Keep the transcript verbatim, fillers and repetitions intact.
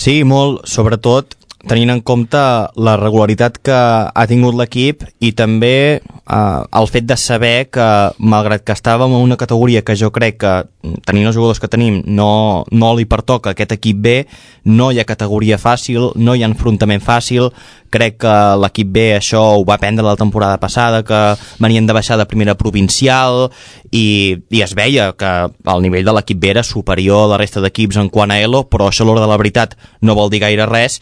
Sí, molt, sobretot tenint en compte la regularitat que ha tingut l'equip i també eh, el fet de saber que, malgrat que estàvem en una categoria que jo crec que, tenint els jugadors que tenim, no, no li pertoca aquest equip B, no hi ha categoria fàcil, no hi ha enfrontament fàcil. Crec que l'equip B això ho va aprendre la temporada passada, que venien de baixar de primera provincial i, i es veia que el nivell de l'equip B era superior a la resta d'equips en quant a Elo, però això a l'hora de la veritat no vol dir gaire res,